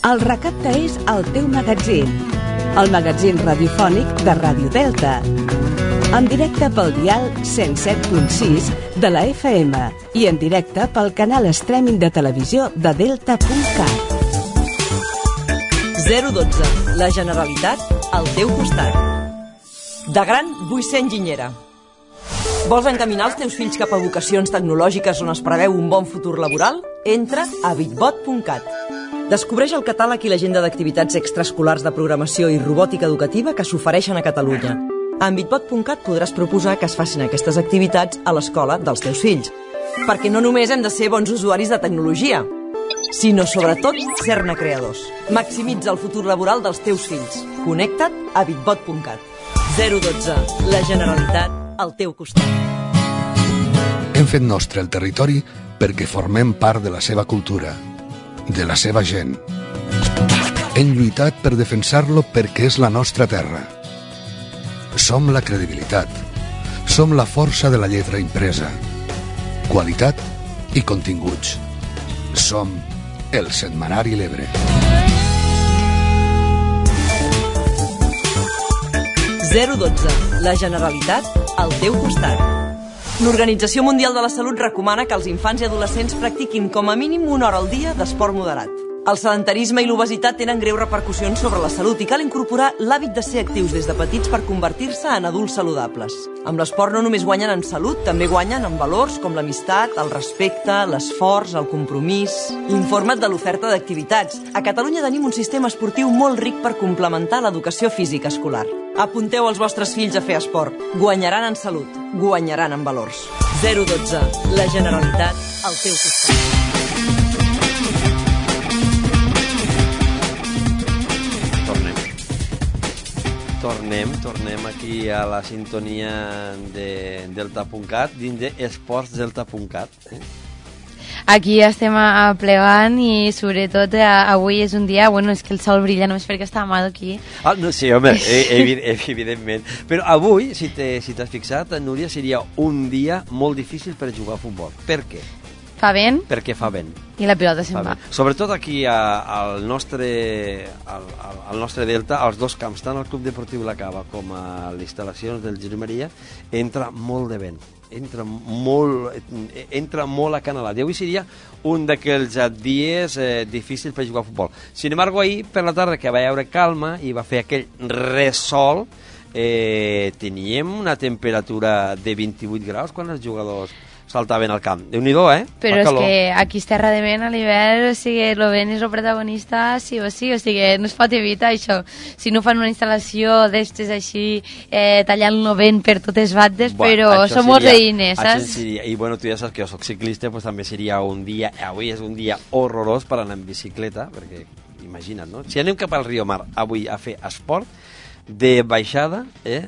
El Recapte és el teu magatzin, el magatzin radiofònic de Ràdio Delta. En directe pel dial cent set punt sis de la F M i en directe pel canal streaming de televisió de delta punt cat.
zero dotze. La Generalitat al teu costat. De gran vull ser enginyera. Vols encaminar els teus fills cap a vocacions tecnològiques on es preveu un bon futur laboral? Entra a bitbot punt cat. Descobreix el catàleg i l'agenda d'activitats extraescolars de programació i robòtica educativa que s'ofereixen a Catalunya. A bitbot punt cat podràs proposar que es facin aquestes activitats a l'escola dels teus fills. Perquè no només hem de ser bons usuaris de tecnologia, sinó sobretot ser-ne creadors. Maximitza el futur laboral dels teus fills. Connecta't a bitbot punt cat. zero dotze. La Generalitat al teu costat.
Hem fet nostre el territori perquè formem part de la seva cultura, de la seva gent. Hem lluitat per defensar-lo perquè és la nostra terra. Som la credibilitat. Som la força de la lletra impresa. Qualitat i continguts. Som el Setmanari L'Ebre.
zero dotze. La Generalitat al teu costat. L'Organització Mundial de la Salut recomana que els infants i adolescents practiquin com a mínim una hora al dia d'esport moderat. El sedentarisme i l'obesitat tenen greus repercussions sobre la salut i cal incorporar l'hàbit de ser actius des de petits per convertir-se en adults saludables. Amb l'esport no només guanyen en salut, també guanyen en valors com l'amistat, el respecte, l'esforç, el compromís. Informa't de l'oferta d'activitats. A Catalunya tenim un sistema esportiu molt ric per complementar l'educació física escolar. Apunteu els vostres fills a fer esport. Guanyaran en salut, guanyaran en valors. zero dotze. La Generalitat al teu costat.
Tornem, tornem aquí a la sintonia de delta punt cat, dins d'esports delta punt cat. Eh?
Aquí estem plegant i sobretot avui és un dia, bueno, és que el sol brilla només perquè està Amado aquí.
Ah, no, sí, home, evidentment. Però avui, si t'has si fixat, Núria, seria un dia molt difícil per jugar a futbol. Per què?
Fa vent?
Perquè fa vent.
I la pilota se'n va.
Sobretot aquí a, al, nostre, al, al nostre delta, als dos camps, tant al Club Deportiu La Cava com a les instal·lacions del Jesús Maria, entra molt de vent. Entra molt, entra molt acanalat. I avui seria un d'aquells dies eh, difícils per jugar a futbol. Sin embargo, ahir per la tarda, que va haure calma i va fer aquell ressol, eh, teníem una temperatura de vint-i-vuit graus quan els jugadors saltaven al camp. Déu-n'hi-do, eh?
Però és que aquí és terra de vent a l'hivern, o sigui, el vent és el protagonista sí o sí, o sigui, no es pot evitar això. Si no fan una instal·lació d'estes així, eh, tallant el vent per totes bandes, bueno, però som molts veïnes, saps?
Seria, i bueno, tu ja saps que jo soc ciclista, pues també seria un dia, avui és un dia horrorós per anar en bicicleta, perquè imagina't, no? Si anem cap al Riu Mar avui a fer esport, de baixada eh,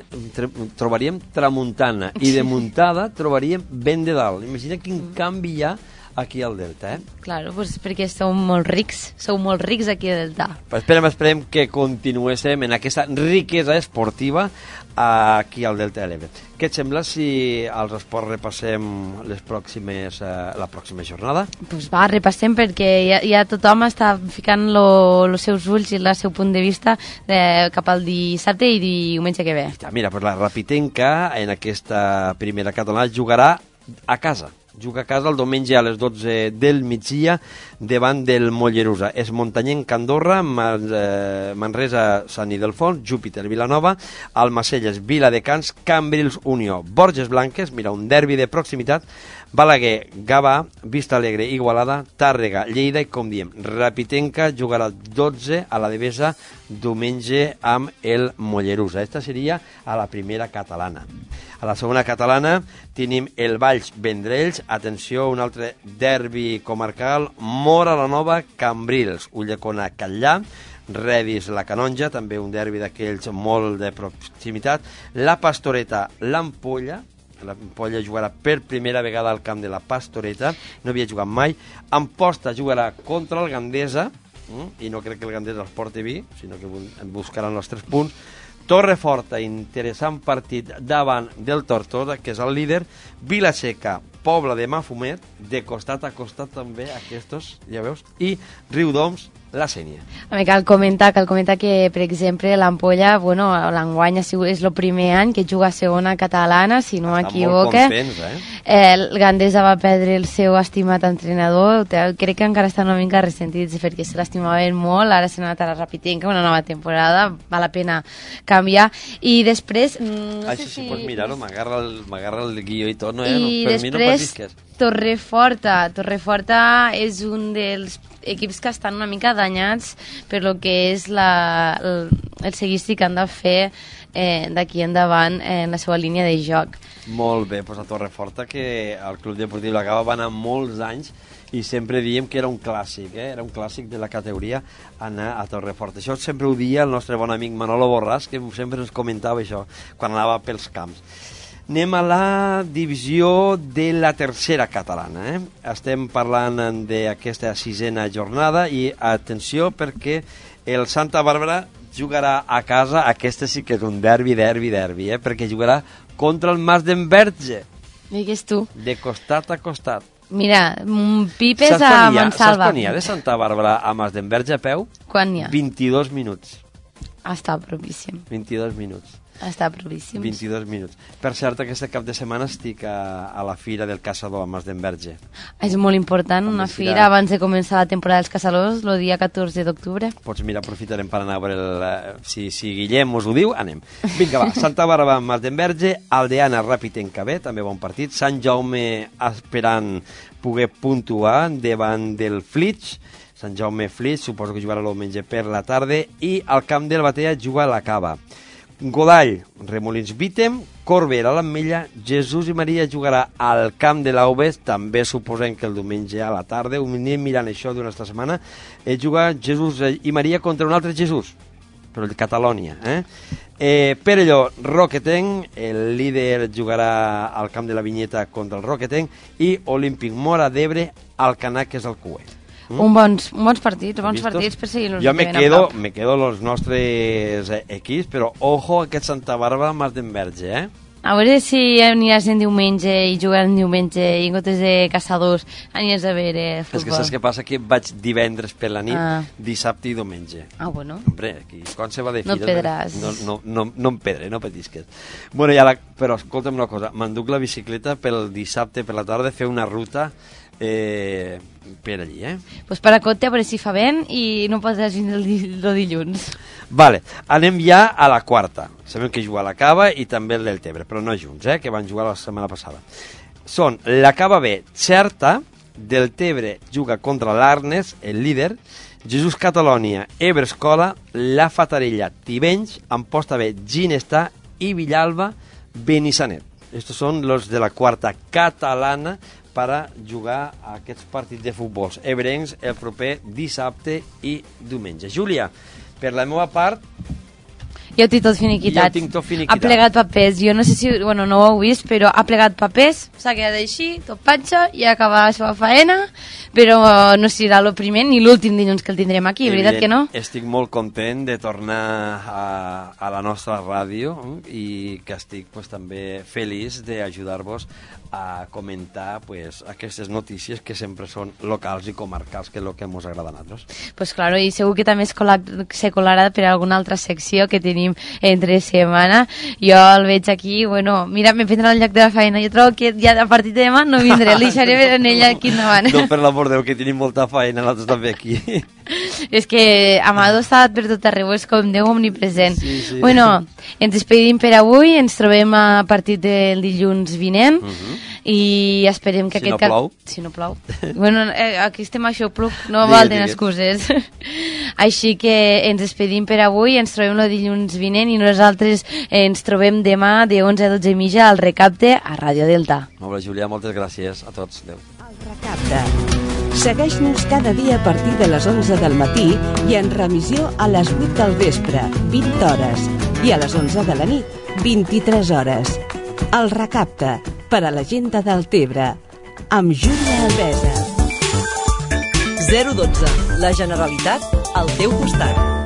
trobaríem tramuntana i de muntada trobaríem vent de dalt. Imagina quin canvi hi ha aquí al Delta, eh?
Claro, pues perquè sou molt rics, sou molt rics aquí al Delta.
Pues esperem, esperem que continuéssim en aquesta riquesa esportiva aquí al Delta de l'Ebre. Què et sembla si als esports repassem les pròximes, eh, la pròxima jornada?
Pues va, repassem perquè ja, ja tothom està ficant els seus ulls i el seu punt de vista de, cap al dissabte i diumenge que ve.
Mira, pues la Rapitenca en aquesta primera catalana jugarà a casa. Juga a casa el diumenge a les dotze del migdia davant del Mollerusa. És Muntanyenc Andorra, Man, eh, Manresa Sant Ildefons, Júpiter Vilanova, Almacelles Viladecans, Cambrils Unió, Borges Blanques, mira, un derbi de proximitat, Balaguer, Gavà, Vista Alegre, Igualada, Tàrrega, Lleida i, com diem, Rapitenca jugarà dotze a la Devesa diumenge amb el Mollerusa. Esta seria a la primera catalana. A la segona catalana tenim el Valls Vendrells, atenció, un altre derbi comarcal, Mora la Nova, Cambrils, Ulldecona, Catllà, Redis, la Canonja, també un derbi d'aquells molt de proximitat, la Pastoreta, l'Ampolla, l'Ampolla jugarà per primera vegada al camp de la Pastoreta, no havia jugat mai, Amposta jugarà contra el Gandesa, i no crec que el Gandesa els porti vi, sinó que buscaran els tres punts, Torreforta, interessant partit davant del Tortosa, que és el líder, Vilaseca, Pobla de Mafumet, de costat a costat també aquests, ja veus, i Riudoms, la Sénia.
A mi cal comentar, cal comentar que, per exemple, l'Ampolla, bueno, l'enguany és el primer any que juga a segona catalana, si no m'equivoque.
Està molt contents, eh?
eh? El Gandesa va perdre el seu estimat entrenador, crec que encara estan una mica ressentits perquè se l'estimaven molt, ara s'ha anat a la Rapitenca, una nova temporada, val la pena canviar, i després... No
ah,
sé
sí,
si...
sí, pues mira-ho, m'agarra el, el guió i tot, no,
I
eh? No, per
després,
mi no patisques.
Torreforta. Torreforta és un dels equips que estan una mica danyats per lo que és la, el, el seguici que han de fer eh, d'aquí endavant en la seva línia de joc.
Molt bé, doncs a Torreforta, que el Club Deportiu La Cava va anar molts anys i sempre diem que era un clàssic, eh? Era un clàssic de la categoria anar a Torreforta. Això sempre ho dia el nostre bon amic Manolo Borràs, que sempre ens comentava això quan anava pels camps. Anem a la divisió de la tercera catalana. Eh? Estem parlant d'aquesta sisena jornada i atenció perquè el Santa Bàrbara jugarà a casa, aquesta sí que és un derbi, derbi, derbi, eh? Perquè jugarà contra el Mas d'Enverge.
Digues tu.
De costat a costat.
Mira, pipes a Mansalva.
Saps quan hi ha de Santa Bàrbara a Mas d'Enverge a peu?
Quan hi ha?
vint-i-dos minuts.
Està propíssim.
vint-i-dos minuts.
Està propíssim.
vint-i-dos minuts. Per cert, aquest cap de setmana estic a, a la Fira del Caçador a Mas d'Enverge.
És molt important, una fira abans de començar la temporada dels caçadors, el dia catorze d'octubre.
Pots mirar, aprofitarem per anar a veure el, si, si Guillem us ho diu, anem. Vinga, va, Santa Bàrbara, Mas d'Enverge, Aldeana, Rapitenca B, també bon partit, Sant Jaume esperant poder puntuar davant del Flix, Sant Jaume Flix, suposo que jugarà el diumenge per la tarda, i al camp del Batea juga la Cava. Godall, Remolins Vítem, Corbera, l'Ametlla, Jesús i Maria jugarà al camp de l'Auves, també suposem que el diumenge a la tarda, ho anem mirant això d'una altra setmana, eh, jugar Jesús i Maria contra un altre Jesús, però el Catalònia. Eh? Eh, Perelló, Roquetenc, el líder jugarà al camp de la Vinyeta contra el Roquetenc, i Olímpic Mora d'Ebre, al Canac, que és el Cué.
Mm? Un bons, bons partits, bons ¿Vistos? partits per seguir-nos.
Jo me quedo, me quedo los nostres equips, però ojo aquest Santa Bàrbara Mas d'Enverge, eh?
A veure si aniràs en diumenge i jugaràs en diumenge i en comptes de caçadors aniràs a veure futbol.
És que saps què passa? Que vaig divendres per la nit, ah. dissabte i diumenge.
Ah, bueno.
Hombre, aquí, quan se va de fira...
No pedràs.
No, no, no, no em pedre, no patisques. Bueno, ja la, però escolta'm una cosa, m'enduc la bicicleta pel dissabte per la tarda, fer una ruta eh, per allí, eh?
Pues para Cote, a veure si fa vent i no podràs vindre el, el dilluns.
Vale, anem ja a la quarta. Sabem que juga a la Cava i també el del Tebre, però no junts, eh? Que van jugar la setmana passada. són la Cava B, Xerta, Deltebre juga contra l'Arnes, el líder, Jesús Catalònia, Ebre Escola, la Fatarella, Tivenys, Amposta B, Ginestar i Villalba, Benissanet. Estos són los de la quarta catalana per a jugar a aquests partits de futbol ebrencs el proper dissabte i diumenge. Júlia, per la meva part,
jo ho tinc tot finiquitat.
Jo tinc tot finiquitat.
Ha plegat papers. Jo no sé si, bueno, no ho heu vist, però ha plegat papers, s'ha quedat així, tot patxa, i ha acabat la seva faena, però no serà el primer ni l'últim dilluns que el tindrem aquí,
Evident,
veritat que no?
Estic molt content de tornar a, a la nostra ràdio i que estic pues, també feliç d'ajudar-vos a comentar pues, aquestes notícies que sempre són locals i comarcals, que és el que ens agrada a nosaltres.
Pues claro, i segur que també es cola, se colarà per alguna altra secció que tenim entre setmana. Jo el veig aquí, bueno, mira, me prendrà el lloc de la feina. Jo trobo que ja a partir de demà no vindré, el deixaré en ella aquí endavant.
No, per l'amor de Déu, que tenim molta feina, nosaltres també aquí.
És que Amado està per tot arreu, és com Déu omnipresent.
Sí, sí.
Bueno, ens despedim per avui, ens trobem a partir del dilluns vinent, uh -huh. i esperem que
si
aquest...
No plou.
Cap... Si no plou. Bueno, eh, aquí estem això, plou, no valen excuses. Així que ens despedim per avui, ens trobem el dilluns vinent i nosaltres ens trobem demà de onze a dotze i mitja al Recapte a Ràdio Delta.
Molt bé, Júlia, moltes gràcies a tots. Adéu.
El Recapte. Segueix-nos cada dia a partir de les onze del matí i en remissió a les vuit del vespre, vint hores, i a les onze de la nit, vint-i-tres hores. El Recapte, per a la gent de Deltebre, amb Júlia Albesa.
zero dotze. La Generalitat al teu costat.